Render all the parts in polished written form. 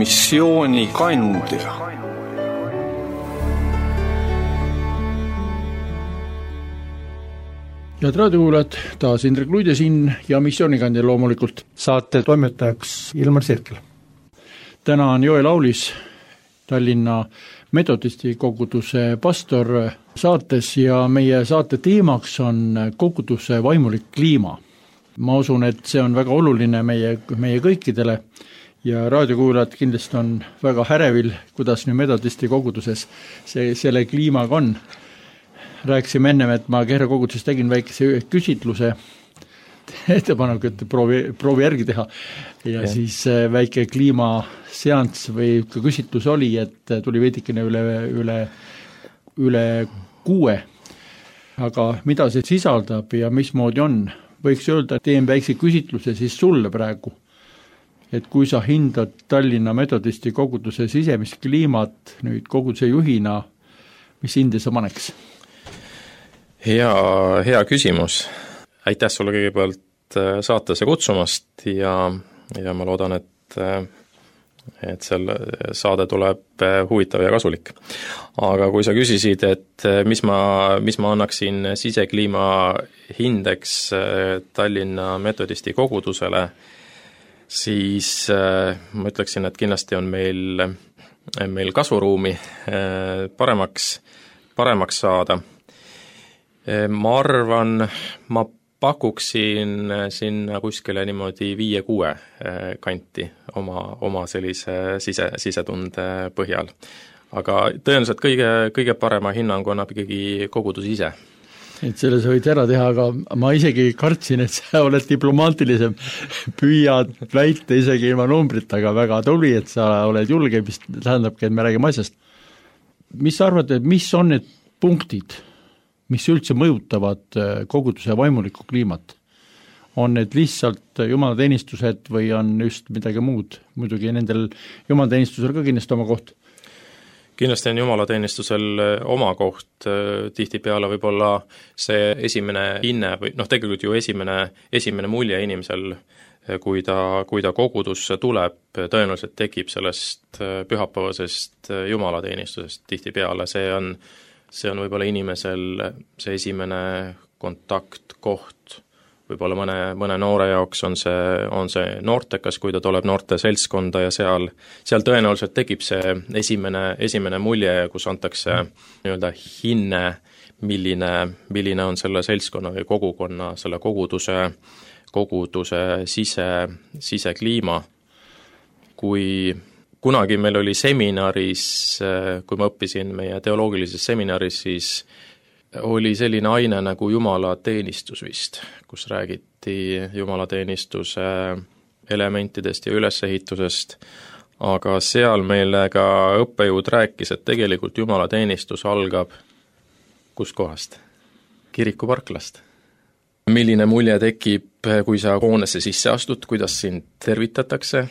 missiooni kandja. Head raadiokuulajad, taas Indrek Luide siin ja missioonikandja loomulikult. Saate toimetajaks Ilmar Sirkel. Täna on Joel Aulis, Tallinna metodisti koguduse pastor saates ja meie saate teemaks on koguduse vaimulik kliima. Ma usun, et see on väga oluline meie kõikidele ja raadiokuulajad kindlasti on väga härevil, kuidas nüüd metodisti koguduses selle kliimaga on. Rääkisime ennem, et ma Kehra koguduses tegin väikese küsitluse ettepanek, et proovi järgi teha ja siis väike kliimaseanss või küsitlus oli, et tuli veidikene üle 6. Aga mida see sisaldab ja mismoodi on? Võiks öelda, et teen väikse küsitluse siis sulle praegu, et kui sa hindad Tallinna metodisti koguduse sisemist kliimat nüüd koguduse juhina, mis hinde sa paneks? Hea küsimus. Aitäh sulle kõigepealt saatesse kutsumast ja ma loodan, et selle saade tuleb huvitav ja kasulik. Aga kui sa küsisid, et mis ma annaksin sisekliima hindeks Tallinna metodisti kogudusele, siis ma ütleksin, et kindlasti on meil kasvuruumi paremaks saada. Ma arvan, ma pakuksin sinna kuskile niimoodi 5-6 kanti oma sellise sisetunde põhjal. Aga tõenäoliselt kõige parema hinnangu annab ikkagi kogudus ise. Et selle sa võid ära teha, aga ma isegi kartsin, et sa oled diplomaatilisem, püüad väita isegi ilma numbrit, aga väga tubli, et sa oled julge, mis tähendabki, et me räägime asjast. Mis sa arvad, et mis on need punktid, mis üldse mõjutavad koguduse vaimulikku kliimat? On need lihtsalt jumalateenistused või on just midagi muud? Muidugi nendel jumalateenistusel ka kindlasti oma koht. Kindlasti on jumalateenistusel oma koht, tihtipeale võib-olla see esimene hinne või tegelikult ju esimene mulje inimesel, kui ta kogudusse tuleb, tõenäoliselt tekib sellest pühapäevasest jumalateenistusest tihtipeale, see on võib-olla inimesel see esimene kontaktkoht, võib-olla mõne noore jaoks on see noortekas, kui ta tuleb noorte seltskonda ja seal tõenäoliselt tekib see esimene mulje, kus antakse nii-öelda hinne, milline on selle seltskonna või kogukonna, selle koguduse sisekliima. Kui kunagi meil oli seminaris, kui ma õppisin meie teoloogilises seminaris, siis oli selline aine nagu jumalateenistus vist, kus räägiti jumalateenistuse elementidest ja ülesehitusest, aga seal meile ka õppejõud rääkis, et tegelikult jumalateenistus algab kust kohast? Kirikuparklast. Milline mulje tekib, kui sa hoonesse sisse astud, kuidas sind tervitatakse?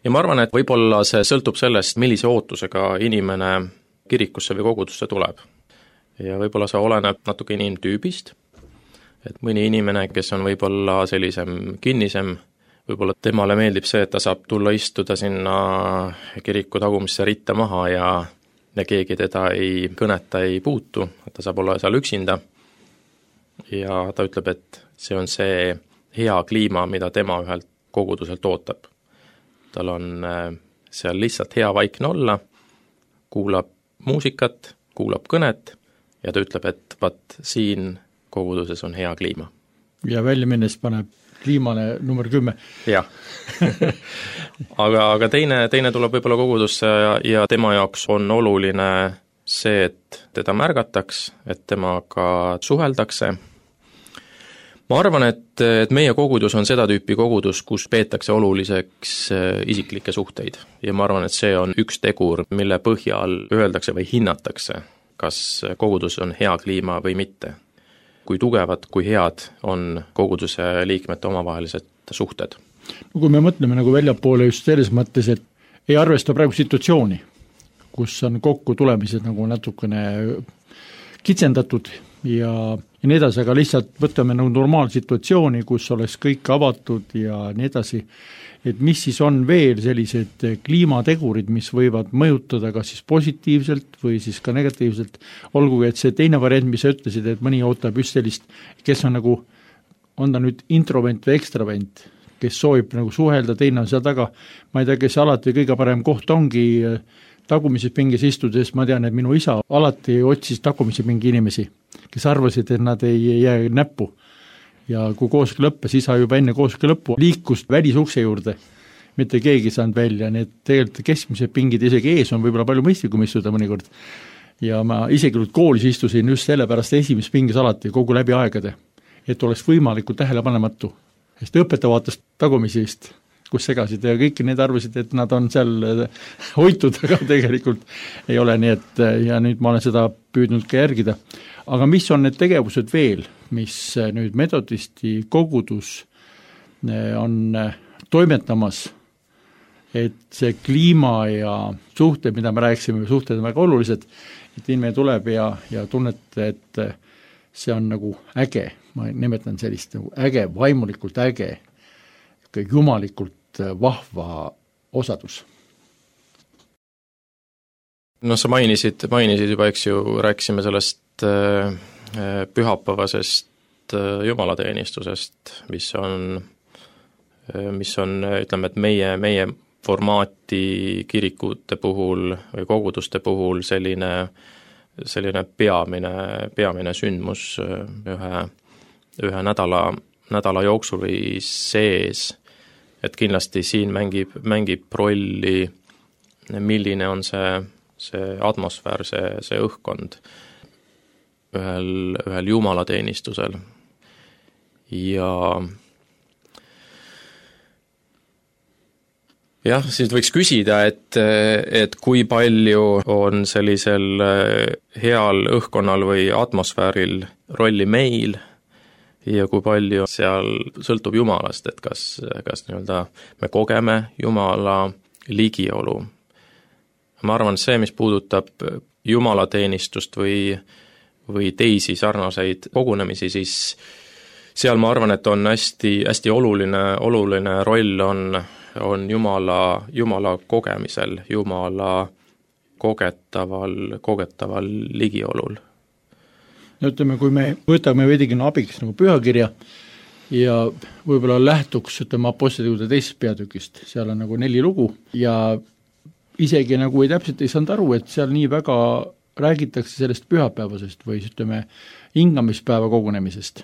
Ja ma arvan, et võib-olla see sõltub sellest, millise ootusega inimene kirikusse või kogudusse tuleb. Ja võib-olla see oleneb natuke inimtüübist, et mõni inimene, kes on võib-olla sellisem kinnisem, võib-olla temale meeldib see, et ta saab tulla istuda sinna kiriku tagumisse ritta maha ja keegi teda ei kõneta, ei puutu, et ta saab olla seal üksinda. Ja ta ütleb, et see on see hea kliima, mida tema ühelt koguduselt ootab. Tal on seal lihtsalt hea vaikne olla, kuulab muusikat, kuulab kõnet ja ta ütleb, et siin koguduses on hea kliima. Ja välja minnes paneb kliimale number 10. Jah. aga teine tuleb võib-olla kogudusse ja tema jaoks on oluline see, et teda märgataks, et temaga suheldakse. Ma arvan, et meie kogudus on seda tüüpi kogudus, kus peetakse oluliseks isiklikke suhteid ja ma arvan, et see on üks tegur, mille põhjal öeldakse või hinnatakse, kas kogudus on hea kliima või mitte. Kui tugevad, kui head on koguduse liikmete omavahelised suhted. Kui me mõtleme nagu väljapoole just selles mõttes, et ei arvesta praegu situatsiooni, kus on kokku tulemised nagu natukene kitsendatud ja nii edasi, aga lihtsalt võtame nagu normaalsituatsiooni, kus oleks kõik avatud ja nii edasi, et mis siis on veel sellised kliimategurid, mis võivad mõjutada kas siis positiivselt või siis ka negatiivselt, olgugi et see teine variant, mis sa ütlesid, et mõni ootab just sellist, kes on nagu, on ta nüüd introvent või ekstravent, kes soovib nagu suhelda, teine on seal taga, ma ei tea, kes alati kõige parem koht ongi tagumises pingis istudes, ma tean, et minu isa alati otsis tagumise pingi inimesi, kes arvasid, et nad ei jää näppu. Ja kui koosolek lõppes, isa juba enne koosolek lõppu liikus välisukse juurde, mitte keegi saanud välja, need tegelikult keskmised pingid isegi ees on võib-olla palju mõistlikum istuda mõnikord. Ja ma isegi koolis istusin just sellepärast esimeses pingis alati kogu läbi aegade, et oleks võimalikult tähelepanematu. Sest õpetaja vaatas tagumisest, kus segasid ja kõik need arvasid, et nad on seal hoitud, aga tegelikult ei ole nii, et ja nüüd ma olen seda püüdnud ka järgida. Aga mis on need tegevused veel, mis nüüd metodisti kogudus on toimetamas, et see kliima ja suhted, mida me rääkisime, suhted on väga olulised, et inimene tuleb ja tunnete, et see on nagu äge, ma nimetan sellist nagu äge, vaimulikult äge, jumalikult vahva osadus. No sa mainisid juba, eks ju, rääkisime sellest pühapäevasest jumalateenistusest, mis on, ütleme, et meie formaati kirikute puhul või koguduste puhul selline peamine sündmus ühe nädala jooksul või sees, et kindlasti siin mängib rolli, milline on see atmosfäär, see õhkkond ühel jumalateenistusel. Ja jah, siis võiks küsida, et kui palju on sellisel heal õhkkonnal või atmosfääril rolli meil ja kui palju seal sõltub Jumalast, et kas nii-öelda me kogeme Jumala ligiolu. Ma arvan, see, mis puudutab jumalateenistust või teisi sarnaseid kogunemisi, siis seal ma arvan, et on hästi oluline roll on Jumala kogemisel, Jumala kogetaval ligiolul. No ütleme, kui me võtame veidikene abiks nagu pühakirja ja võib-olla lähtuks, ütleme, Apostlite teisest peatükist, seal on nagu 4 lugu ja isegi nagu täpselt ei saanud aru, et seal nii väga räägitakse sellest pühapäevasest või ütleme hingamispäeva kogunemisest.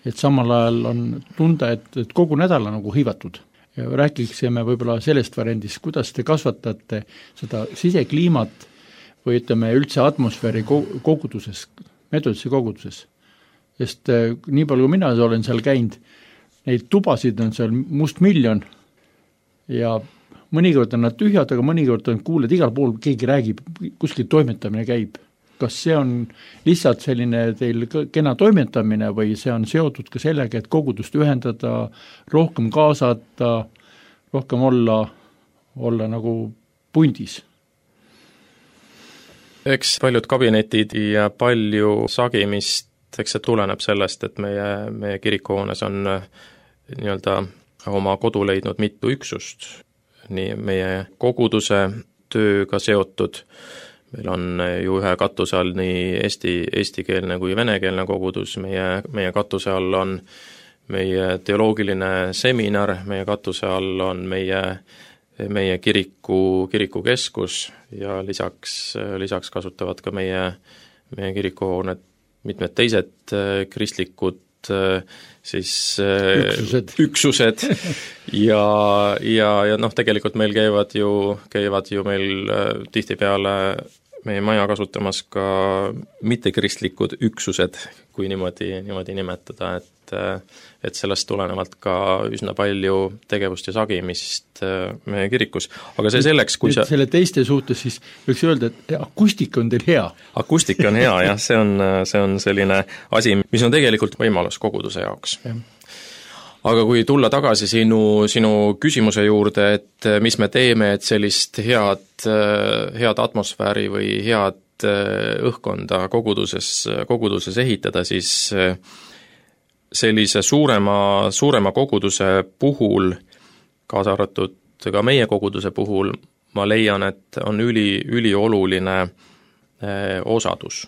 Et samal ajal on tunda, et kogu nädal on nagu hõivatud. Ja rääkiksime võib-olla sellest variandist, kuidas te kasvatate seda sisekliimat või ütleme üldse atmosfääri koguduses, metodisse koguduses. Sest nii palju, kui mina olen seal käinud, neid tubasid on seal mustmiljon ja mõnikord on nad tühjad, aga mõnikord on kuuled, igal pool keegi räägib, kuskil toimetamine käib. Kas see on lihtsalt selline teil kena toimetamine või see on seotud ka sellega, et kogudust ühendada, rohkem kaasata, rohkem olla nagu pundis? Eks paljud kabinetid ja palju sagimist, eks see tuleneb sellest, et meie kirikuhoones on nii-öelda oma kodu leidnud mitu üksust, nii meie koguduse tööga seotud. Meil on ju ühe katuse all nii eestikeelne kui venekeelne kogudus, meie katuse all on meie teoloogiline seminar, meie katuse all on meie kirikukeskus ja lisaks kasutavad ka meie kirikuhooned mitmed teised kristlikud siis üksused ja tegelikult meil käivad ju meil tihtipeale meie maja kasutamas ka mittekristlikud üksused, kui niimoodi nimetada, et sellest tulenevalt ka üsna palju tegevust ja sagimist meie kirikus. Aga see selleks, kui sa... Selle teiste suhtes siis võiks öelda, et akustika on teil hea. Akustika on hea, jah, see on selline asi, mis on tegelikult võimalus koguduse jaoks. Aga kui tulla tagasi sinu küsimuse juurde, et mis me teeme, et sellist head atmosfääri või head õhkkonda koguduses ehitada, siis sellise suurema koguduse puhul, kaasa arvatud ka meie koguduse puhul, ma leian, et on ülioluline osadus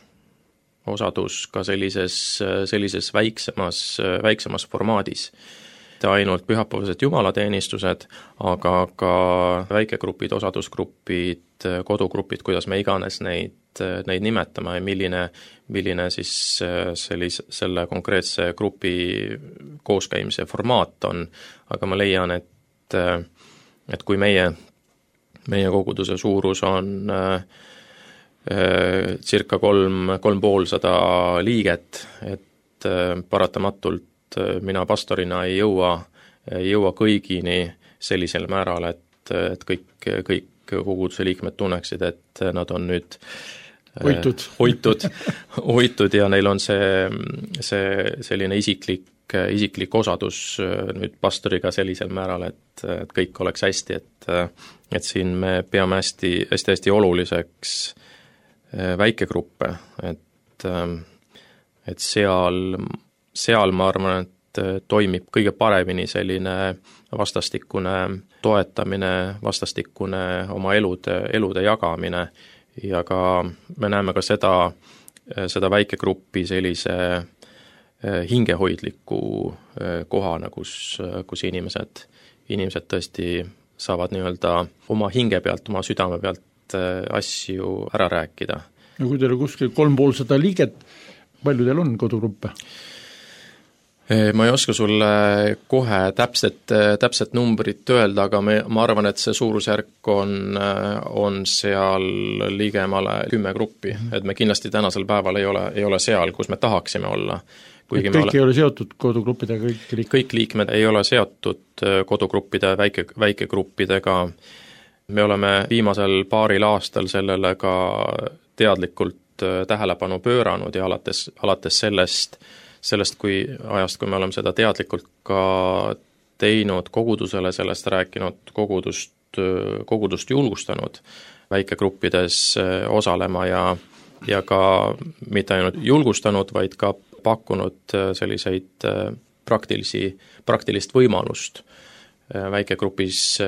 ka sellises väiksemas formaadis. Ainult pühapäevased jumalateenistused, aga ka väikegrupid, osadusgrupid, kodugrupid, kuidas me iganes neid nimetame ja milline siis selle konkreetse grupi kooskäimise formaat on, aga ma leian, et kui meie koguduse suurus on circa 350 liiget, et paratamatult mina pastorina ei jõua kõigini sellisel määral, et kõik koguduse liikmed tunneksid, et nad on nüüd hoitud ja neil on see selline isiklik osadus nüüd pastoriga sellisel määral, et kõik oleks hästi, et siin me peame hästi oluliseks väikegruppe, et seal ma arvan, et toimib kõige paremini selline vastastikune toetamine, vastastikune oma elude jagamine ja ka me näeme ka seda väikegruppi sellise hingehoidliku kohana, kus inimesed tõesti saavad nii-öelda oma hinge pealt, oma südame pealt asju ära rääkida. No kui teil on kuskil 350 liiget, palju teil on kodugruppe? Ma ei oska sulle kohe täpset numbrit öelda, aga ma arvan, et see suurusjärk on seal ligemale 10 gruppi, et me kindlasti tänasel päeval ei ole seal, kus me tahaksime olla. Kuigi kõik ei ole seotud kodugruppidega, kõik liikmed ei ole seotud kodugruppide, väikegruppidega. Me oleme viimasel paaril aastal sellele ka teadlikult tähelepanu pööranud ja alates sellest kui me oleme seda teadlikult ka teinud kogudusele, sellest rääkinud, kogudust julgustanud väikegruppides osalema ja ka mitte ainult julgustanud, vaid ka pakkunud selliseid praktilist võimalust väikegrupis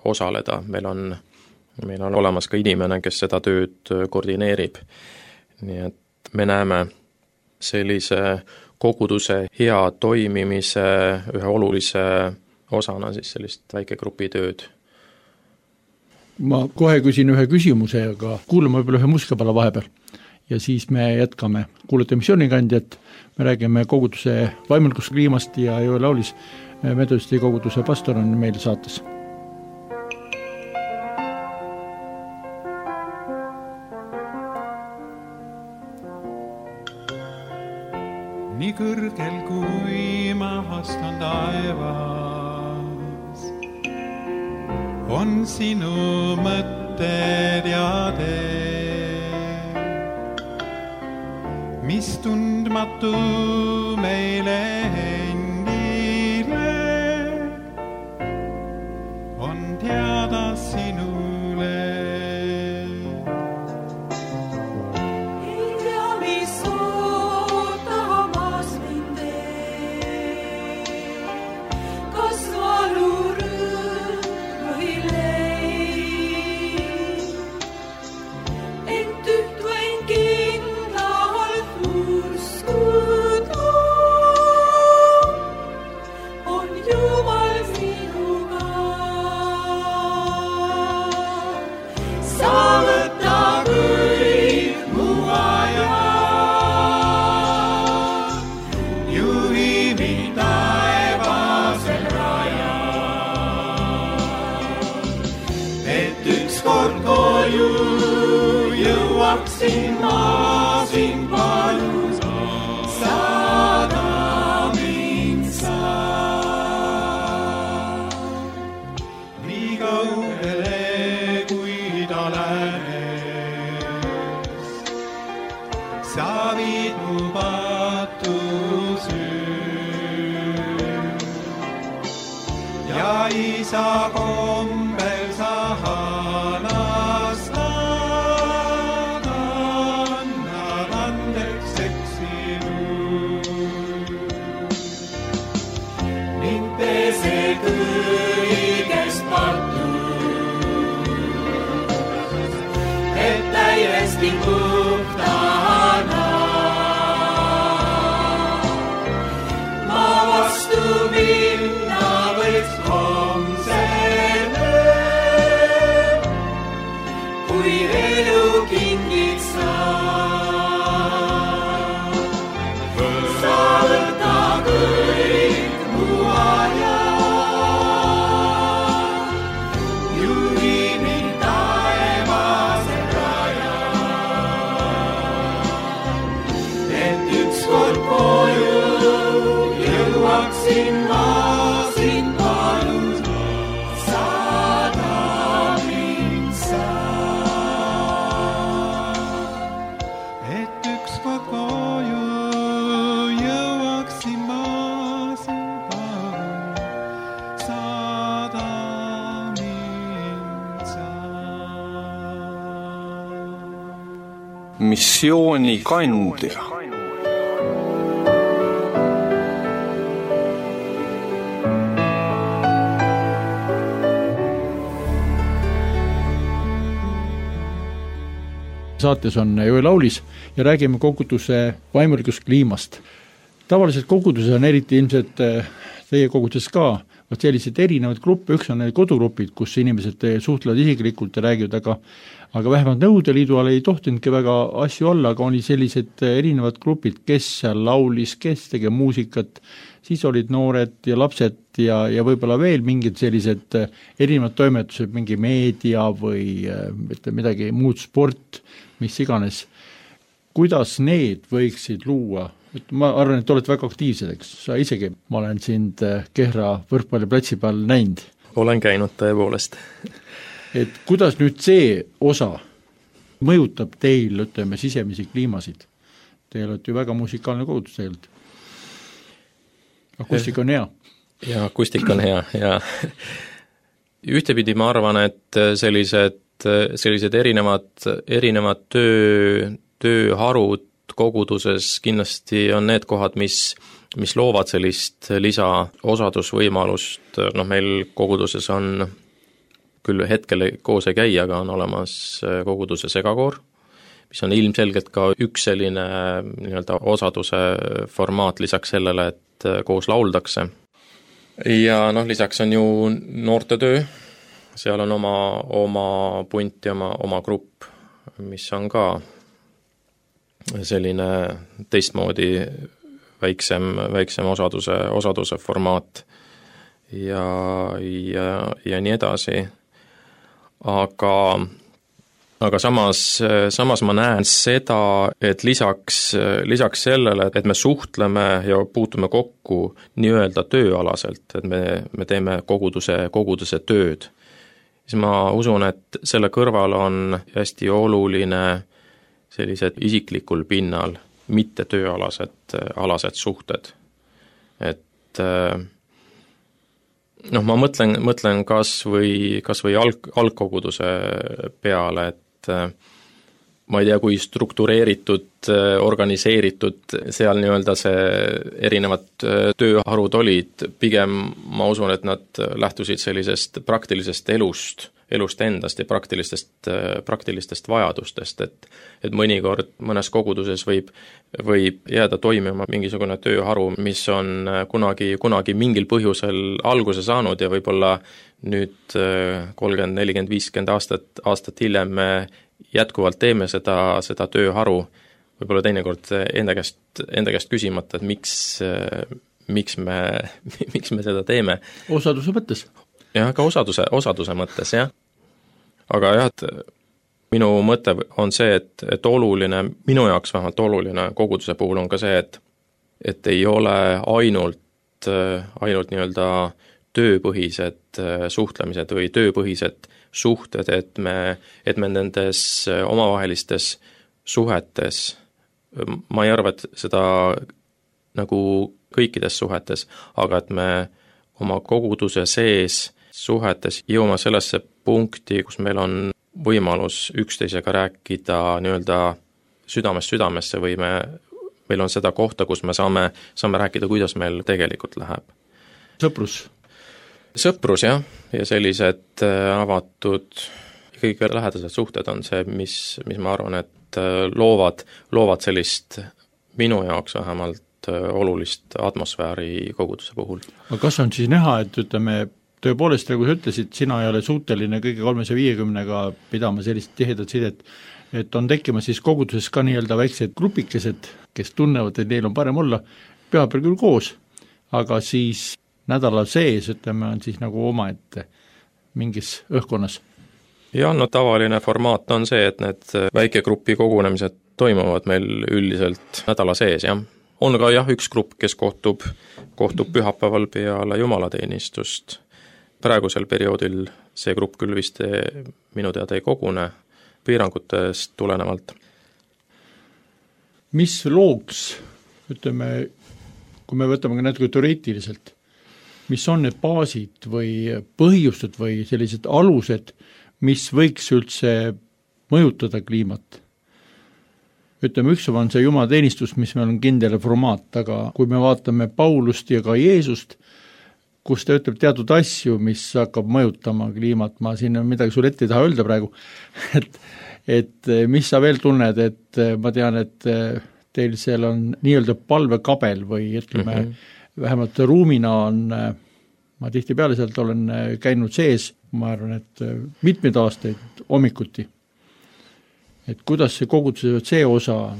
osaleda. Meil on olemas ka inimene, kes seda tööd koordineerib. Nii et me näeme sellise koguduse hea toimimise ühe olulise osana siis sellist väikegrupi tööd. Ma kohe küsin ühe küsimuse, aga kuulame võib-olla ühe musikapala vahepeal ja siis me jätkame. Kuulete missioonikandjat, me räägime koguduse vaimulikust kliimast ja Joel Aulis, metodisti koguduse pastor, on meil saates. Nii kõrgel kui mahast on taevas, on sinu mõtted ja tee, mis tundmatu meile endile on teada sinule. Jõuaksin ma sind palun, saada mind saa. Nii kaugele kui ta läänes, sa viid mu patus öö. Ja isa kombel sa halas kiiresti puhtana. Ma vastu minna võiks homsele, kui elu kingiks saab. Sa võta kõik mu aja, juhi mind taevasel rajal, et ükskord koju jõuaksin ma sind palun, saada mind saab. Et ükskord koju jõuaksin ma sind palun, saada mind saab. Missioonikandja. Saates on Joel Aulis ja räägime koguduse vaimulikust kliimast. Tavaliselt koguduses on eriti ilmselt teie koguduses ka sellised erinevad gruppe, üks on need kodugrupid, kus inimesed suhtlevad isiklikult ja räägivad, aga vähemalt Nõukogude Liidu all ei tohtinudki väga asju olla, aga oli sellised erinevad grupid, kes seal laulis, kes tegi muusikat, siis olid noored ja lapsed ja võib-olla veel mingid sellised erinevad toimetused, mingi meedia või midagi muud, sport, mis iganes. Kuidas need võiksid luua? Ma arvan, et oled väga aktiivsed, eks sa isegi, ma olen sind Kehra võrkpalliplatsi peal näinud. Olen käinud tõepoolest. Et kuidas nüüd see osa mõjutab teil, ütleme, sisemisi kliimasid? Te olete ju väga musikaalne kogudus tegelikult. Akustika on hea. Ja akustika on hea ja ühtepidi ma arvan, et sellised erinevad tööharud koguduses kindlasti on need kohad, mis loovad sellist lisaosadusvõimalust. Meil koguduses on, küll hetkel koos ei käi, aga on olemas koguduse segakoor, mis on ilmselgelt ka üks selline nii-öelda osaduse formaat lisaks sellele, et koos lauldakse. Ja lisaks on ju noortetöö, seal on oma punt ja oma grupp, mis on ka selline teistmoodi väiksem osaduse formaat ja nii edasi. Aga samas ma näen seda, et lisaks sellele, et me suhtleme ja puutume kokku nii-öelda tööalaselt, et me teeme koguduse tööd, siis ma usun, et selle kõrval on hästi oluline sellised isiklikul pinnal, mitte tööalased suhted. Et ma mõtlen kas või algkoguduse peale, et ma ei tea, kui struktureeritud, organiseeritud seal nii-öelda see erinevad tööharud olid, pigem ma usun, et nad lähtusid sellisest praktilisest elust endast ja praktilistest vajadustest, et mõnikord mõnes koguduses võib jääda toimima mingisugune tööharu, mis on kunagi mingil põhjusel alguse saanud ja võib-olla nüüd 30, 40, 50 aastat hiljem me jätkuvalt teeme seda tööharu, võib-olla teinekord enda käest küsimata, et miks me seda teeme. Osaduse mõttes? Jah, ka osaduse mõttes, jah. Aga jah, et minu mõte on see, et oluline, minu jaoks vähemalt oluline koguduse puhul on ka see, et ei ole ainult nii-öelda tööpõhised suhtlemised või tööpõhised suhted, et me nendes omavahelistes suhetes, ma ei arva, et seda nagu kõikides suhetes, aga et me oma koguduse sees suhetes jõuame sellesse punkti, kus meil on võimalus üksteisega rääkida nii-öelda südamest südamesse või meil on seda kohta, kus me saame rääkida, kuidas meil tegelikult läheb. Sõprus, jah, ja sellised avatud, kõige lähedased suhted on see, mis ma arvan, et loovad sellist minu jaoks vähemalt olulist atmosfääri koguduse puhul. aga kas on siis näha, et ütleme, tõepoolest, nagu sa ütlesid, sina ei ole suuteline kõige 350-ga pidama sellist tihedat sidet, et on tekkimas siis koguduses ka nii-öelda väiksed grupikesed, kes tunnevad, et neil on parem olla, pühapäeval küll koos, aga siis nädala sees, ütleme, on siis nagu omaette mingis õhkkonnas. Ja no tavaline formaat on see, et need väikegrupi kogunemised toimuvad meil üldiselt nädala sees, jah. On ka jah, üks grupp, kes kohtub pühapäeval peale jumalateenistust. Praegusel perioodil see grupp küll vist minu teada ei kogune piirangutest tulenevalt. Mis looks, ütleme, kui me võtame ka natuke teoreetiliselt, mis on need baasid või põhjused või sellised alused, mis võiks üldse mõjutada kliimat? Ütleme, üks on see jumalateenistus, mis meil on kindel formaat, aga kui me vaatame Paulust ja ka Jeesust, kus ta ütleb teatud asju, mis hakkab mõjutama kliimat, ma siin midagi sulle ette ei taha öelda praegu, et mis sa veel tunned, et ma tean, et teil seal on nii-öelda palvekabel või ütleme, vähemalt ruumina on, ma tihtipeale sealt olen käinud sees, ma arvan, et mitmeid aastaid hommikuti. Et kuidas see koguduse see osa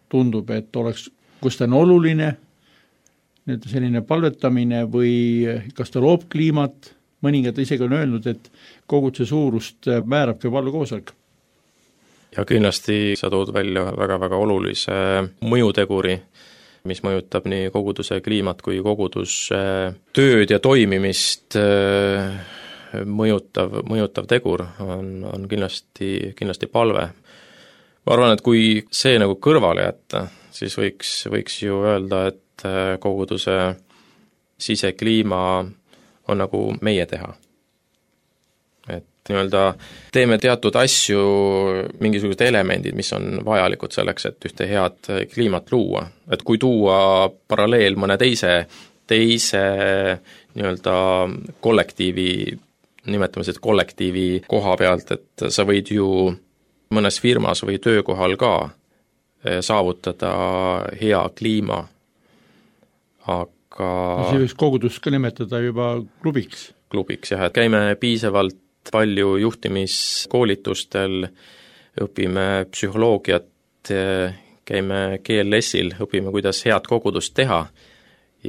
tundub, et oleks, kus ta on oluline, nüüd selline palvetamine või kas ta loob kliimat, mõningad isegi on öelnud, et koguduse suurust määrab ka palvekoosolek. Ja kindlasti sa tood välja väga-väga olulise mõjuteguri, mis mõjutab nii koguduse kliimat kui koguduse tööd ja toimimist mõjutav tegur on kindlasti palve. Ma arvan, et kui see nagu kõrvale jätta, siis võiks ju öelda, et koguduse sisekliima on nagu meie teha. Et nii-öelda teeme teatud asju, mingisugused elemendid, mis on vajalikud selleks, et ühte head kliimat luua. Et kui tuua paralleel mõne teise nii-öelda kollektiivi, nimetame kollektiivi koha pealt, et sa võid ju mõnes firmas või töökohal ka saavutada hea kliima, aga see võiks kogudust ka nimetada juba klubiks. Klubiks, jah, et käime piisavalt palju juhtimiskoolitustel, õpime psühholoogiat, käime GLS-il, õpime, kuidas head kogudust teha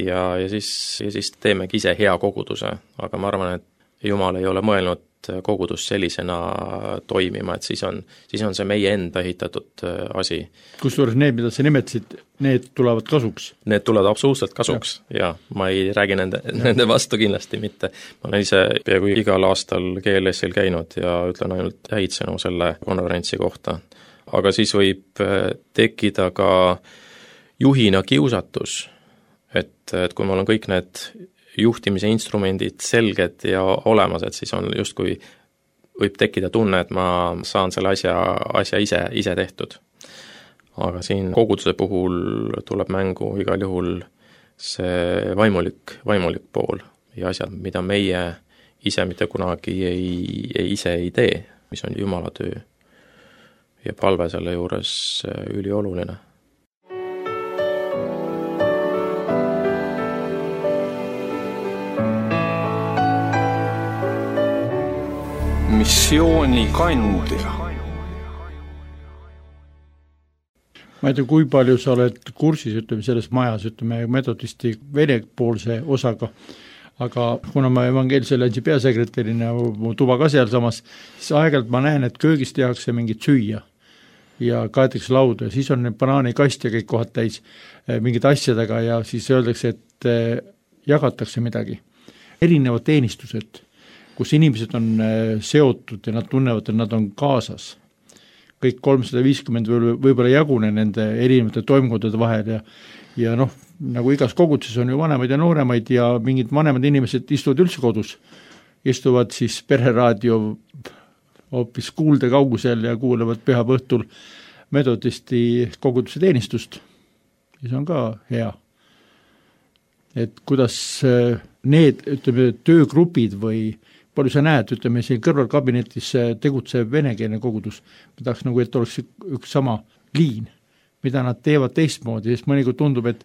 ja siis teemegi ise hea koguduse, aga ma arvan, et Jumal ei ole mõelnud kogudus sellisena toimima, et siis on see meie enda ehitatud asi. Kusjuures need, mida sa nimetasid, need tulevad kasuks? Need tulevad absoluutselt kasuks, ja ma ei räägi nende vastu kindlasti mitte. Ma olen ise peaaegu igal aastal GLS-il käinud ja ütlen ainult häid sõnu selle konverentsi kohta. Aga siis võib tekkida ka juhina kiusatus, et kui mul on kõik need juhtimise instrumendid selged ja olemas, et siis on justkui võib tekkida tunne, et ma saan selle asja ise tehtud. Aga siin koguduse puhul tuleb mängu igal juhul see vaimulik pool ja asjad, mida meie ise mitte kunagi ise ei tee, mis on Jumala töö. Ja palve selle juures ülioluline. Missioonikandja. Ma ei tea, kui palju sa oled kursis, ütleme, selles majas, ütleme, metodisti venepoolse osaga, aga kuna ma evangeelse alliansi peasekretärina mu tuba ka seal samas, siis aeg-ajalt ma näen, et köögis tehakse mingit süüa ja kaetakse lauda ja siis on need banaanikast ja kõik kohad täis mingid asjadega ja siis öeldakse, et jagatakse midagi. Erinevad teenistused, kus inimesed on seotud ja nad tunnevad, et nad on kaasas. Kõik 350 võib-olla jagune nende erinevate toimkondade vahel ja noh, nagu igas koguduses on ju vanemaid ja nooremaid ja mingid vanemad inimesed istuvad üldse kodus. Istuvad siis pereraadio hoopis kuulde kaugusel ja kuulevad pühapäeva õhtul metodisti koguduse teenistust. Ja see on ka hea. Et kuidas need, ütleme, töögrupid või palju sa näed, ütleme siin kõrvalkabinetis tegutsev venekeelne kogudus, ma tahaks nagu, et oleks üks sama liin, mida nad teevad teistmoodi, sest mõnikord tundub, et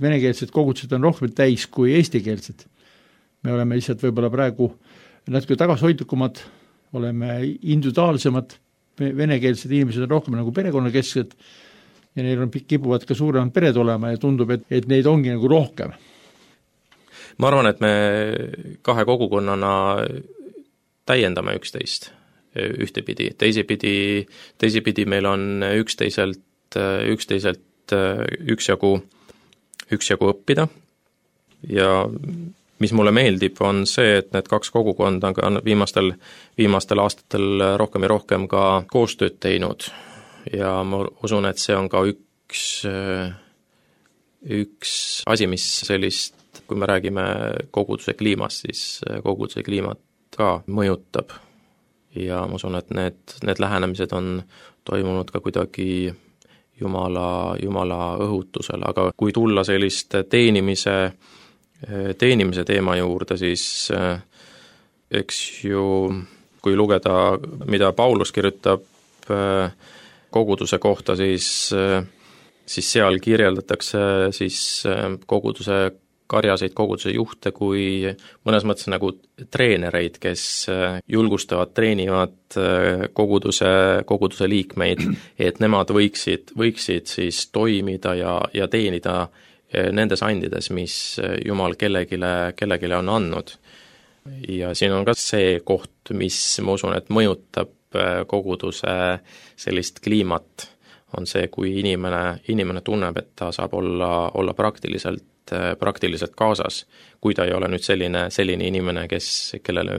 venekeelsed kogudused on rohkem täis kui eestikeelsed. Me oleme lihtsalt võib-olla praegu natuke tagasihoidlikumad, oleme individuaalsemad, venekeelsed inimesed on rohkem nagu perekonnakesksed ja neil on kipuvad ka suuremad pered olema ja tundub, et neid ongi nagu rohkem. Ma arvan, et me kahe kogukonnana täiendame üksteist ühtepidi, teisipidi meil on üksteiselt üksjagu õppida ja mis mulle meeldib, on see, et need kaks kogukonda on viimastel aastatel rohkem ja rohkem ka koostööd teinud ja ma usun, et see on ka üks asi, mis sellist, kui me räägime koguduse kliimast, siis koguduse kliimat ka mõjutab ja ma usun, et need lähenemised on toimunud ka kuidagi Jumala õhutusel, aga kui tulla sellist teenimise teema juurde, siis eks ju, kui lugeda, mida Paulus kirjutab koguduse kohta, siis seal kirjeldatakse siis koguduse karjaseid, koguduse juhte kui mõnes mõttes nagu treenereid, kes julgustavad, treenivad koguduse liikmeid, et nemad võiksid siis toimida ja teenida nendes andides, mis Jumal kellelegi on andnud. Ja siin on ka see koht, mis ma usun, et mõjutab koguduse sellist kliimat, on see, kui inimene tunneb, et ta saab olla praktiliselt kaasas, kui ta ei ole nüüd selline inimene, kellele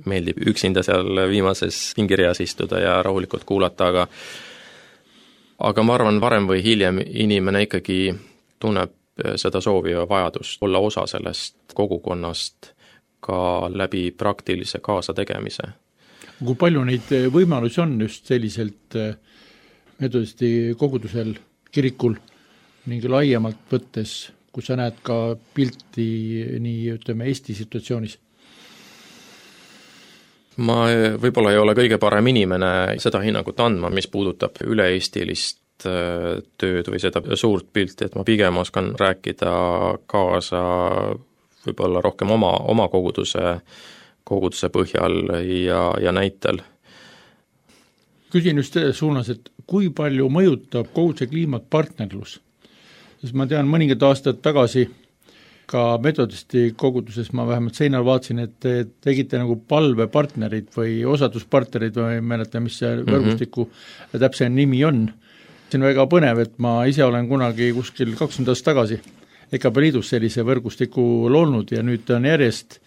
meeldib üksinda seal viimases pingirjas istuda ja rahulikult kuulata, aga ma arvan, varem või hiljem inimene ikkagi tunneb seda soovi ja vajadust olla osa sellest kogukonnast ka läbi praktilise kaasategemise. Kui palju neid võimalusi on just selliselt metodisti kogudusel, kirikul ning laiemalt võttes, kus sa näed ka pilti nii, ütleme, Eesti situatsioonis? Ma võib-olla ei ole kõige parem inimene seda hinnangut andma, mis puudutab üle-eestilist tööd või seda suurt pilti, et ma pigem oskan rääkida kaasa võib-olla rohkem oma koguduse põhjal ja näitel. Küsin just suunas, et kui palju mõjutab koguduse kliimat partnerlus? Sest ma tean, mõningad aastad tagasi ka metodisti koguduses ma vähemalt seinal vaatasin, et te tegite nagu palvepartnerid või osaduspartnerid või ei mäleta, mis see võrgustiku täpsem nimi on. See on väga põnev, et ma ise olen kunagi kuskil 20 aastat tagasi EKP Liidus sellise võrgustiku loonud ja nüüd on järjest,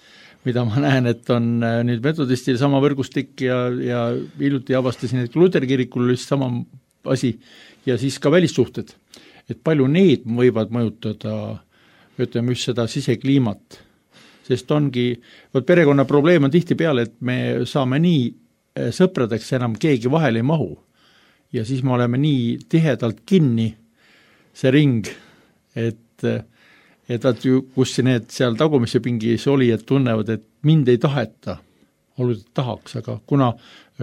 mida ma näen, et on nüüd metodistil sama võrgustik ja hiljuti avastasin, et Luteri kirikul oli sama asi ja siis ka välissuhted. Et palju need võivad mõjutada, ütleme just seda sisekliimat, sest ongi, perekonna probleem on tihti peale, et me saame nii sõpradeks enam keegi vahele ei mahu ja siis me oleme nii tihedalt kinni see ring, et kus need seal tagumise pingis oli, et tunnevad, et mind ei taheta, oluliselt tahaks, aga kuna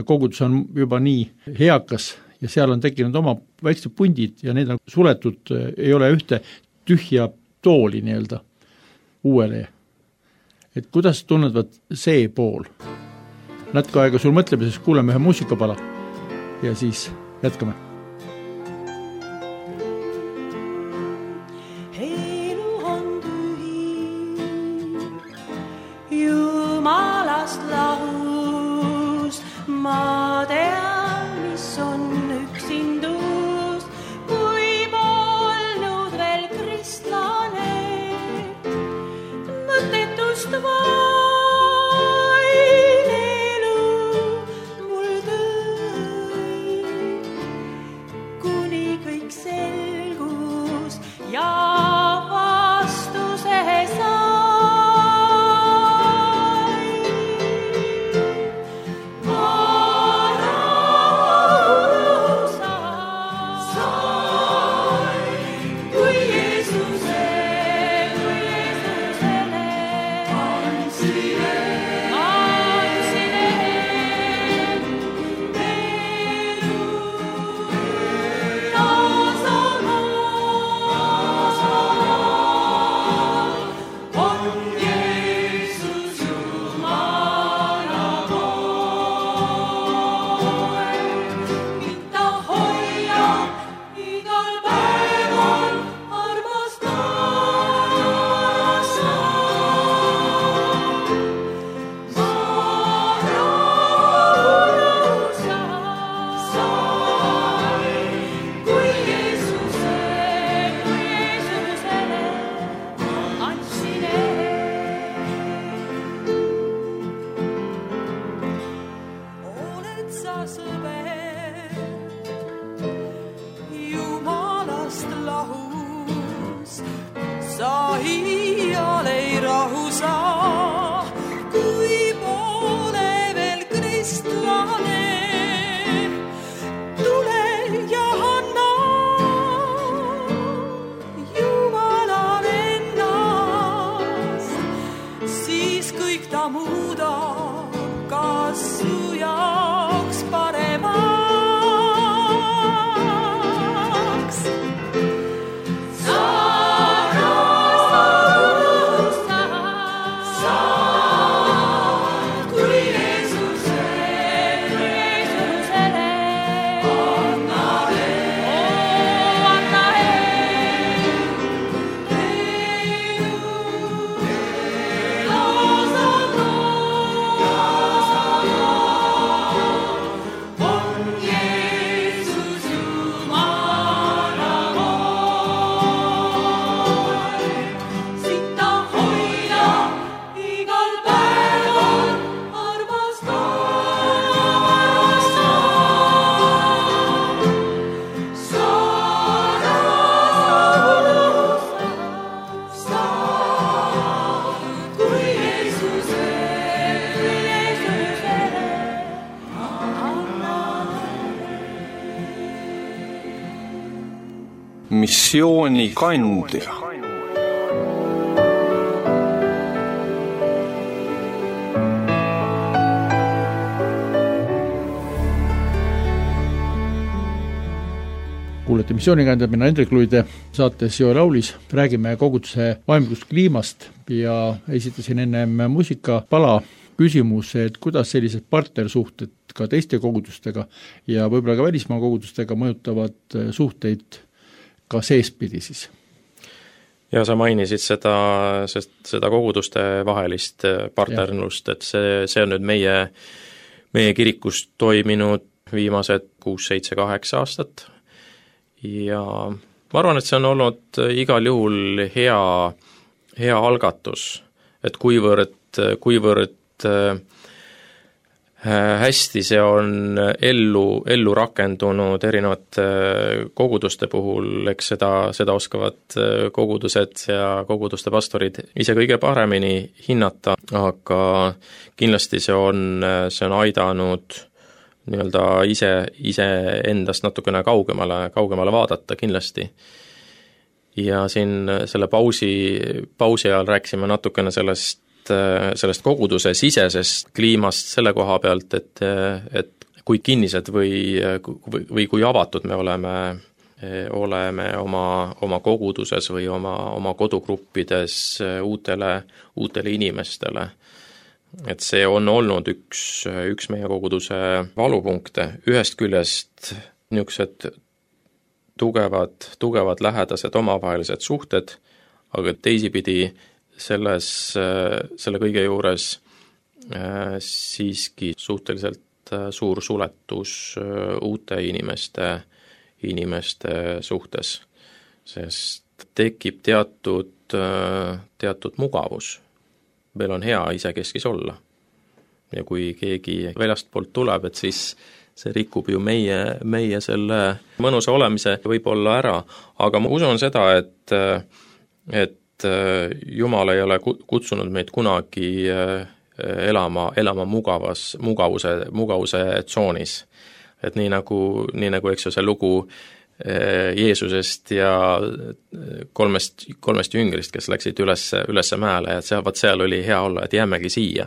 kogudus on juba nii heakas ja seal on tekkinud oma väiksed pundid ja need on suletud, ei ole ühte tühja tooli nii-öelda uuele. Et kuidas tunnevad see pool? Natuke aega sul mõtlemises kuuleme ühe muusikapala ja siis jätkame. Elu on tühi, Jumalast lahus, ma tean, mis on üksindus, kui polnud veel kristlane, mõttetust vain elu mul tõi. missioonikandja. Kuulete missioonikandjad, mina Hendrik Luide, saates Joel Aulis räägime koguduse vaimlikust kliimast ja esitasin ennem muusikapala küsimuse, et kuidas sellised partnersuhted ka teiste kogudustega ja võib-olla ka välismaa kogudustega mõjutavad suhteid ka seespidi siis. Ja sa mainisid seda koguduste vahelist partnerlust, et see on nüüd meie kirikus toiminud viimased 6, 7, 8 aastat ja ma arvan, et see on olnud igal juhul hea algatus, et kuivõrd hästi see on ellu rakendunud erinevate koguduste puhul, eks seda oskavad kogudused ja koguduste pastorid ise kõige paremini hinnata, aga kindlasti see on aidanud nii-öelda ise endast natukene kaugemale vaadata kindlasti. Ja siin selle pausi ajal rääkisime natukene sellest koguduse sisesest kliimast selle koha pealt, et kui kinnised või kui avatud me oleme oma koguduses või oma kodugruppides uutele inimestele. Et see on olnud üks meie koguduse valupunkte. Ühest küljest niisugused tugevad lähedased omavahelised suhted, aga teisipidi selle kõige juures siiski suhteliselt suur suletus uute inimeste suhtes, sest tekib teatud mugavus. Meil on hea isekeskis olla. Ja kui keegi väljastpoolt tuleb, et siis see rikub ju meie selle mõnusa olemise võib-olla ära, aga ma usun seda, et Jumal ei ole kutsunud meid kunagi elama mugavuse tsoonis. Et nii nagu eks ju see lugu Jeesusest ja kolmest jüngrist, kes läksid ülesse mäele, et seal oli hea olla, et jäämegi siia.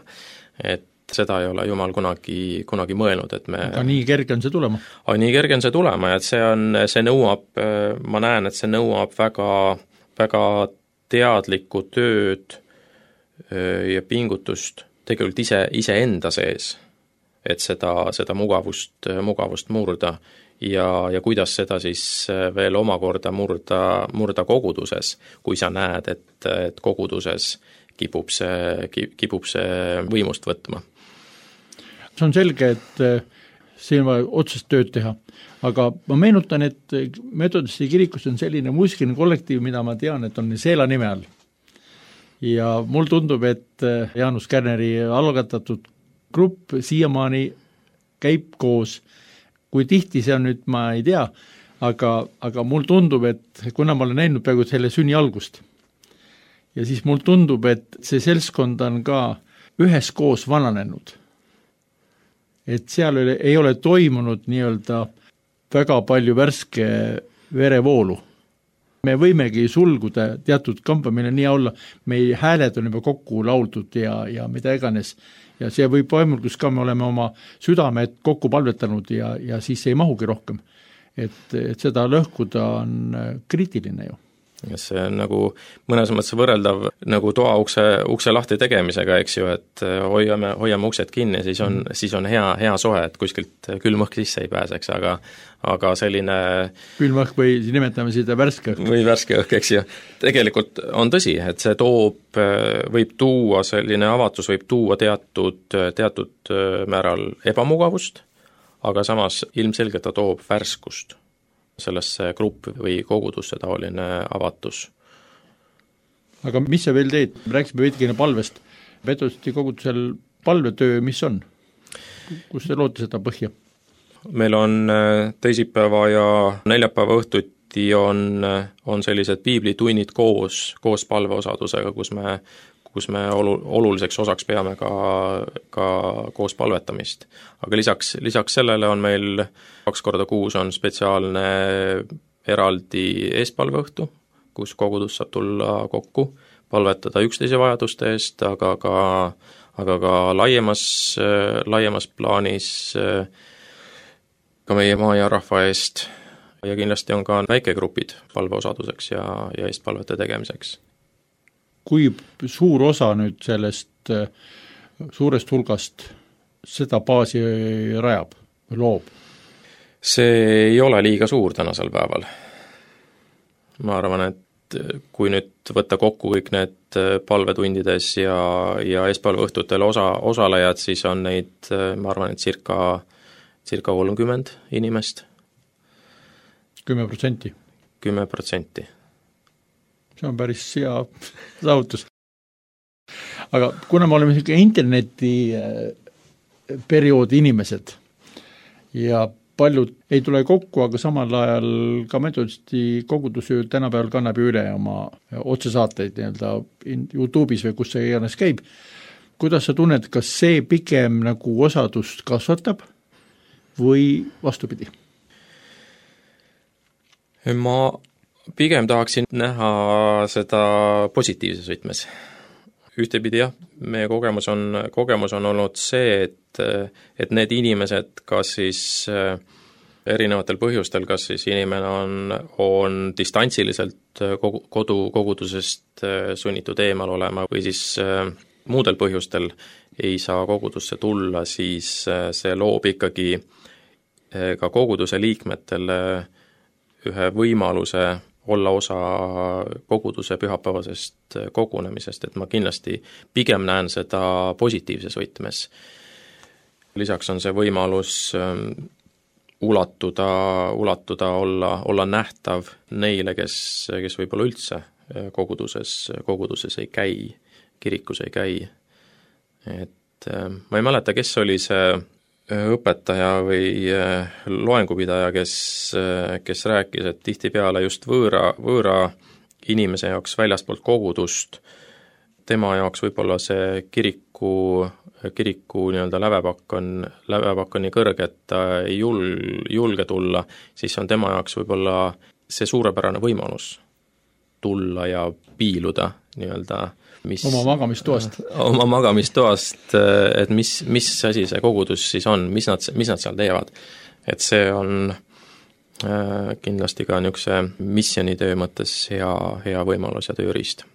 Et seda ei ole Jumal kunagi mõelnud, et me... Aga nii kerge on see tulema? Nii kerge on see tulema, et see nõuab, ma näen, et see nõuab väga teadlikku tööd ja pingutust tegelikult ise enda sees, et seda mugavust murda ja kuidas seda siis veel omakorda murda koguduses, kui sa näed, et koguduses kipub see võimust võtma. See on selge, et siin on vaja otsest tööd teha, aga ma meenutan, et Metodisti kirikus on selline muusikiline kollektiiv, mida ma tean, et on Seela nime all. Ja mul tundub, et Jaanus Kärneri algatatud grupp siiamaani käib koos. Kui tihti see on nüüd, ma ei tea, aga mul tundub, et kuna ma olen näinud peaaegu selle sünni algust, ja siis mul tundub, et see seltskond on ka üheskoos vananenud. Et seal ei ole toimunud nii-öelda väga palju värske verevoolu. Me võimegi sulguda teatud kambamine nii olla, meie hääled on juba kokku lauldud ja mida iganes. Ja see võib vaimulgus ka, me oleme oma südamed kokku palvetanud ja siis ei mahugi rohkem. Et seda lõhkuda on kriitiline ju. Ja see on nagu mõnes mõttes võrreldav nagu toa ukse lahti tegemisega, eks ju, et hoiame uksed kinni, siis on hea soe, et kuskilt külmõhk sisse ei pääseks, aga selline... Külmõhk või nimetame seda värske õhk. Või värske õhk, eks ju. Tegelikult on tõsi, et see võib tuua, selline avatus võib tuua teatud määral ebamugavust, aga samas ilmselgelt ta toob värskust sellesse gruppi või kogudusse taoline avatus. Aga mis sa veel teed? Rääksime veidikene palvest. Metodisti kogudusel palvetöö, mis on? Kus te loote seda põhja? Meil on teisipäeva ja neljapäeva õhtuti on sellised piiblitunnid koos palveosadusega, kus me oluliseks osaks peame ka koos palvetamist. Aga lisaks sellele on meil 2 korda kuus on spetsiaalne eraldi eespalveõhtu, kus kogudus saab tulla kokku, palvetada üksteise vajaduste eest, aga ka laiemas plaanis ka meie maa ja rahva eest ja kindlasti on ka väikegrupid palveosaduseks ja eestpalvete tegemiseks. Kui suur osa nüüd sellest suurest hulgast seda baasi rajab või loob? See ei ole liiga suur tänasel päeval. Ma arvan, et kui nüüd võtta kokku kõik need palvetundides ja eespalveõhtutel osalejad, siis on neid, ma arvan, et circa 30 inimest. 10%? 10%. See on päris hea saavutus. Aga kuna me oleme interneti perioodi inimesed ja paljud ei tule kokku, aga samal ajal ka metodisti kogudus ju tänapäeval kannab üle oma otsesaateid YouTube'is või kus see iganes käib. Kuidas sa tunned, kas see pigem nagu osadust kasvatab või vastupidi? Ma pigem tahaksin näha seda positiivses võtmes. Ühtepidi jah, meie kogemus on olnud see, et need inimesed, kas siis erinevatel põhjustel, kas siis inimene on distantsiliselt kogudusest sunnitud eemal olema või siis muudel põhjustel ei saa kogudusse tulla, siis see loob ikkagi ka koguduse liikmetele ühe võimaluse olla osa koguduse pühapäevasest kogunemisest, et ma kindlasti pigem näen seda positiivses võtmes. Lisaks on see võimalus ulatuda, olla nähtav neile, kes võib-olla üldse koguduses ei käi, kirikus ei käi. Et ma ei mäleta, kes oli see õpetaja või loengupidaja, kes rääkis, et tihtipeale just võõra inimese jaoks väljaspoolt kogudust, tema jaoks võib-olla see kiriku nii-öelda lävepakk on nii kõrge, et ta ei julge tulla, siis on tema jaoks võib-olla see suurepärane võimalus tulla ja piiluda nii-öelda oma magamistoast, et mis asi see kogudus siis on, mis nad seal teevad. Et see on kindlasti ka niisuguse missionitöö mõttes hea võimalus ja tööriist.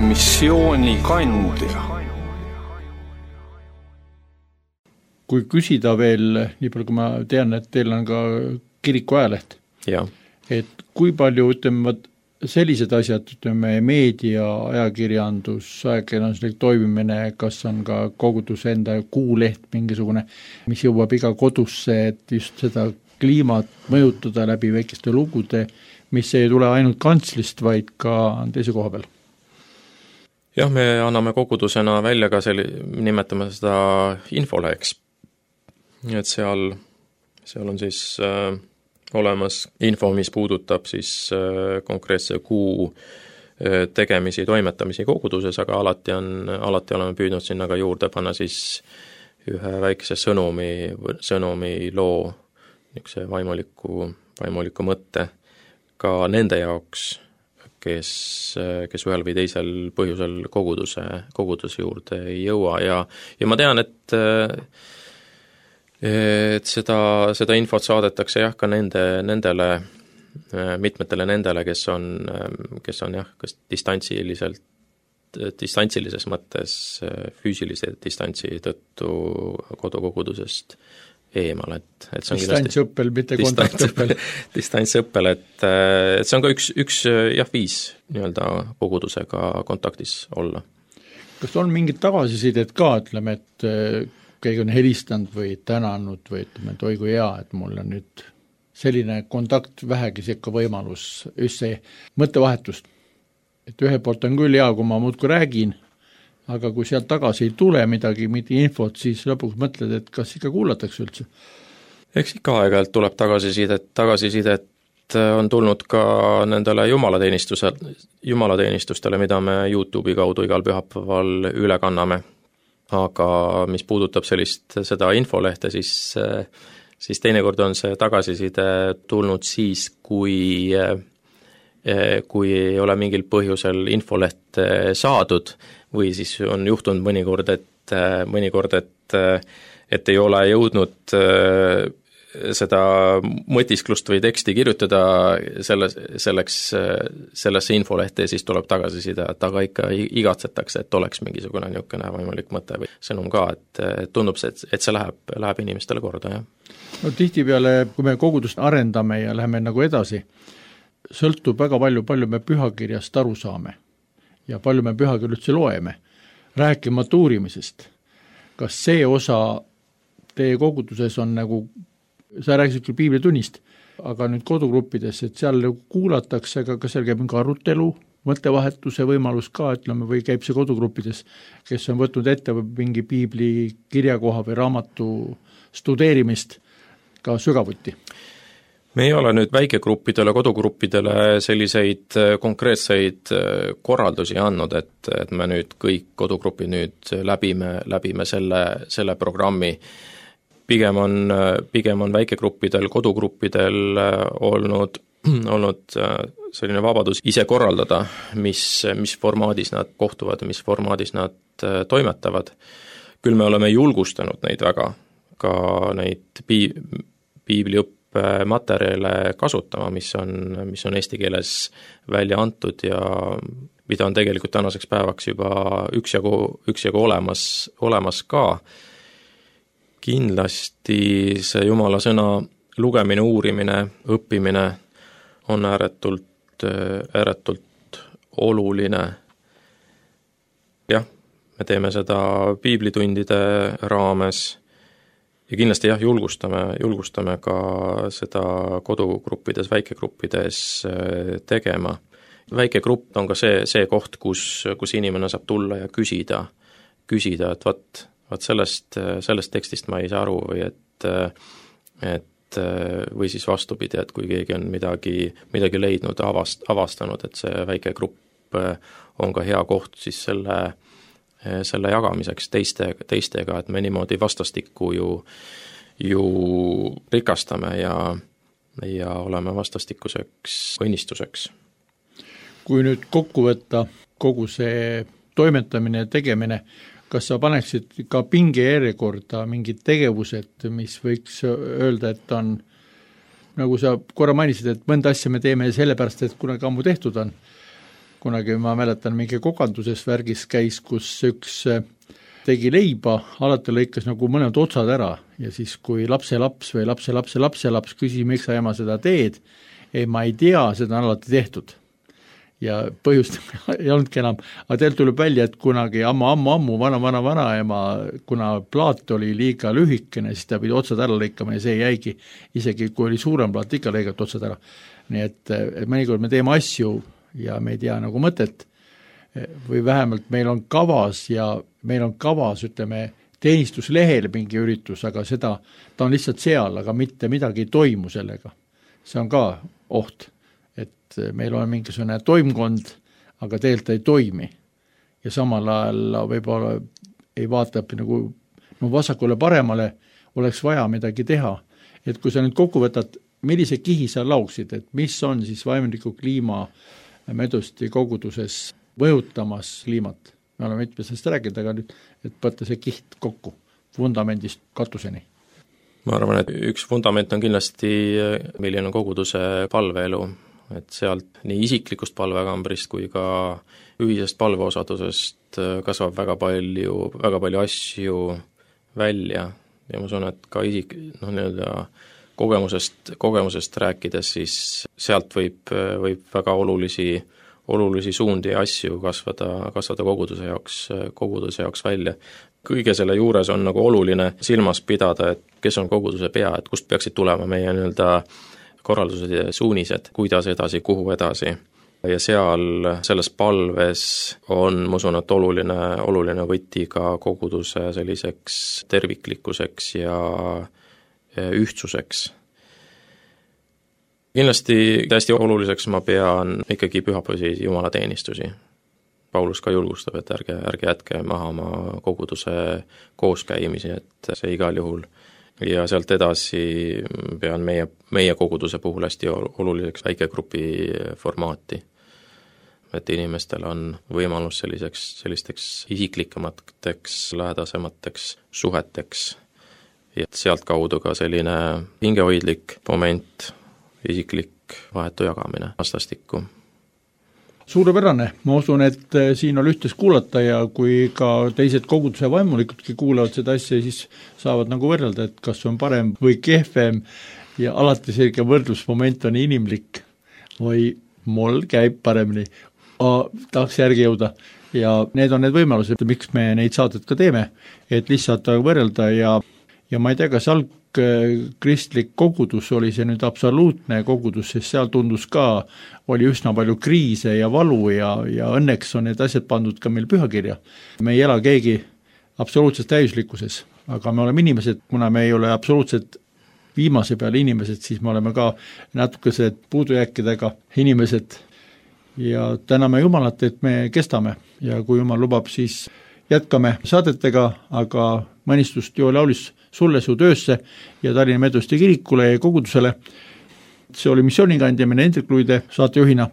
Missioonikandja. Kui küsida veel, nii palju kui ma tean, et teil on ka kiriku ajaleht, et kui palju sellised asjad, meedia, ajakirjandus, ajakirjanduslik toimimine, kas on ka koguduse enda kuuleht mingisugune, mis jõuab iga kodusse, et just seda kliimat mõjutada läbi väikeste lugude, mis ei tule ainult kantslist, vaid ka teise koha peal? Jah, me anname kogudusena välja ka nimetame seda infoleheks. Et seal on siis olemas info, mis puudutab siis konkreetse kuu tegemisi, toimetamisi koguduses, aga alati oleme püüdnud sinna ka juurde panna siis ühe väikese sõnumi loo, niisuguse vaimuliku mõtte ka nende jaoks, kes ühel või teisel põhjusel koguduse juurde ei jõua ja ma tean, et seda infot saadetakse jah ka mitmetele nendele, kes on jah, kas distantsilises mõttes füüsilise distantsi tõttu kodukogudusest eemal, et see on distantsõppel, mitte kontaktõppel. Distantsõppel, et see on ka üks viis nii-öelda kogudusega kontaktis olla. Kas on mingid tagasisidet ka, ütleme, et keegi on helistanud või tänanud või ütleme, et oi kui hea, et mul on nüüd selline kontakt vähegi sekka võimalus, just see mõttevahetust. Et ühe poolt on küll hea, kui ma muudku räägin, aga kui sealt tagasi ei tule midagi infot, siis lõpuks mõtled, et kas ikka kuulatakse üldse? Eks ikka aeg-ajalt tuleb tagasisidet on tulnud ka nendele jumalateenistustele, mida me YouTube'i kaudu igal pühapäeval üle kanname. Aga mis puudutab seda infolehte, siis teinekord on see tagasiside tulnud siis, kui ei ole mingil põhjusel infolehte saadud või siis on juhtunud mõnikord, et ei ole jõudnud seda mõtisklust või teksti kirjutada sellesse infolehte ja siis tuleb tagasisida, et aga ikka igatsetakse, et oleks mingisugune niisugune võimalik mõte või sõnum ka, et tundub see, et see läheb inimestele korda, jah. No tihtipeale, kui me kogudust arendame ja läheme nagu edasi, sõltub väga palju me pühakirjast aru saame ja palju me pühakirja üldse loeme, rääkimata uurimisest. Kas see osa teie koguduses on nagu, sa rääkisid küll piiblitunnist, aga nüüd kodugruppides, et seal kuulatakse, aga kas seal käib mingi arutelu, mõttevahetuse võimalus ka, ütleme, või käib see kodugruppides, kes on võtnud ette mingi piibli kirjakoha või raamatu studeerimist ka sügavuti? Me ei ole nüüd väikegruppidele, kodugruppidele selliseid konkreetseid korraldusi andnud, et me nüüd kõik kodugrupid nüüd läbime selle programmi. Pigem on väikegruppidel, kodugruppidel olnud selline vabadus ise korraldada, mis formaadis nad kohtuvad, mis formaadis nad toimetavad. Küll me oleme julgustanud neid väga, ka neid piibliõppematerjale kasutama, mis on eesti keeles välja antud ja mida on tegelikult tänaseks päevaks juba üksjagu olemas ka. Kindlasti see Jumala sõna lugemine, uurimine, õppimine on ääretult oluline. Jah, me teeme seda piiblitundide raames ja kindlasti julgustame ka seda kodugruppides, väikegruppides tegema. Väikegrupp on ka see koht, kus inimene saab tulla ja küsida, et vaat sellest tekstist ma ei saa aru või või siis vastupidi, et kui keegi on midagi leidnud, avastanud, et see väike grupp on ka hea koht siis selle jagamiseks teistega, et me niimoodi vastastikku ju rikastame ja oleme vastastikuseks õnnistuseks. Kui nüüd kokku võtta kogu see toimetamine ja tegemine, kas sa paneksid ka pingejärjekorda mingid tegevused, mis võiks öelda, et on, nagu sa korra mainisid, et mõnda asja me teeme sellepärast, et kunagi ammu tehtud on. Kunagi ma mäletan, mingi kokanduses värgis käis, kus üks tegi leiba, alati lõikas nagu mõned otsad ära ja siis kui lapselaps või lapselaps küsis, miks sa ema seda teed, ei, ma ei tea, seda on alati tehtud. Ja põhjust ei olnudki enam, aga teil tuleb välja, et kunagi ammu, vana ema, kuna plaat oli liiga lühikene, siis ta pidi otsad ära lõikama ja see jäigi, isegi kui oli suurem plaat, ikka lõigat otsad ära. Nii et mõnikord me teeme asju ja me ei tea nagu mõtet või vähemalt meil on kavas, ütleme, teenistuslehel mingi üritus, aga ta on lihtsalt seal, aga mitte midagi ei toimu sellega. See on ka oht. Et meil on mingisugune toimkond, aga tegelikult ei toimi. Ja samal ajal võib-olla ei vaata nagu vasakule paremale, oleks vaja midagi teha. Et kui sa nüüd kokku võtad, millise kihi sa lauksid, et mis on siis vaimliku kliima Medosti koguduses mõjutamas kliimat? Me oleme mitmest rääkinud, aga nüüd, et võtta see kiht kokku vundamendist katuseni. Ma arvan, et üks fundament on kindlasti, milline on koguduse palveelu, et sealt nii isiklikust palvekambrist kui ka ühisest palveosadusest kasvab väga palju asju välja ja ma usun, et ka kogemusest rääkides, siis sealt võib väga olulisi suundi ja asju kasvada koguduse jaoks välja. Kõige selle juures on nagu oluline silmas pidada, et kes on koguduse pea, et kust peaksid tulema meie korraldused ja suunised, kuidas edasi, kuhu edasi. Ja selles palves on, ma usun, et oluline võti ka koguduse selliseks terviklikkuseks ja ühtsuseks. kindlasti hästi oluliseks ma pean ikkagi pühapäevasi jumalateenistusi. Paulus ka julgustab, et ärge jätke maha oma koguduse kooskäimisi, et see igal juhul. Ja sealt edasi pean meie koguduse puhul hästi oluliseks väikegrupi formaati. Et inimestel on võimalus sellisteks isiklikemateks, lähedasemateks suheteks ja sealt kaudu ka selline hingehoidlik moment, isiklik vahetu jagamine vastastikku. Suurepärane, ma usun, et siin on ühtes kuulata ja kui ka teised koguduse vaimulikudki kuulavad seda asja, siis saavad nagu võrrelda, et kas on parem või kehvem ja alati selge võrdlusmoment on inimlik või mul käib paremini, tahaks järgi jõuda ja need on need võimalused, miks me neid saadet ka teeme, et lihtsalt võrrelda ja ma ei tea, kas kristlik kogudus oli see nüüd absoluutne kogudus, sest seal tundus ka, oli üsna palju kriise ja valu ja õnneks on need asjad pandud ka meil pühakirja. Me ei ela keegi absoluutses täiuslikkuses, aga me oleme inimesed, kuna me ei ole absoluutselt viimase peale inimesed, siis me oleme ka natukesed puudujääkidega inimesed ja täname Jumalat, et me kestame ja kui Jumal lubab, siis jätkame saadetega, aga mõnistust Joel Laulis sulle su töösse ja Tallinna Metodisti kirikule ja kogudusele. See oli missioonikandja, mine Hendrik Luide saatejuhina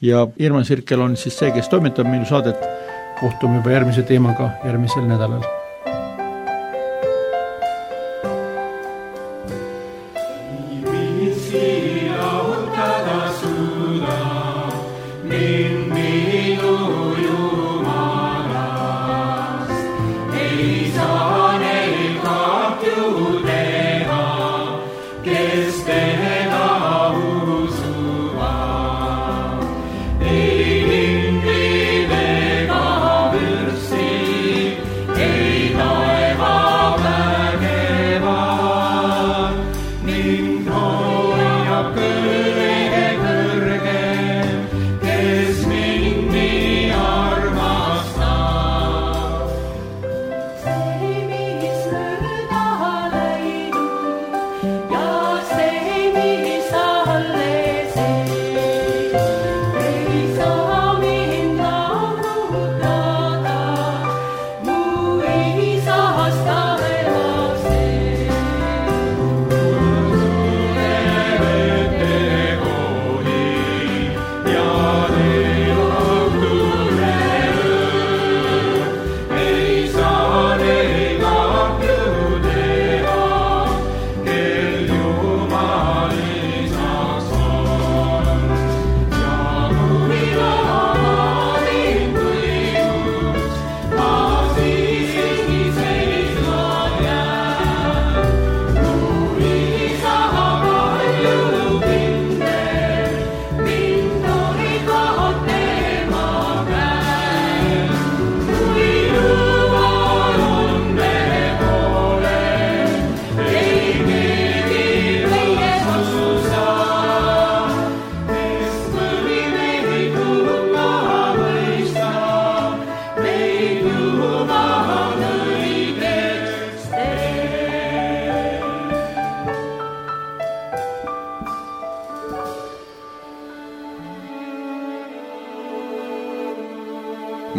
ja Irman Sirkel on siis see, kes toimetab minu saadet. Kohtume juba järgmise teemaga järgmisel nädalal.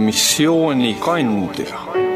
Missioonikandja.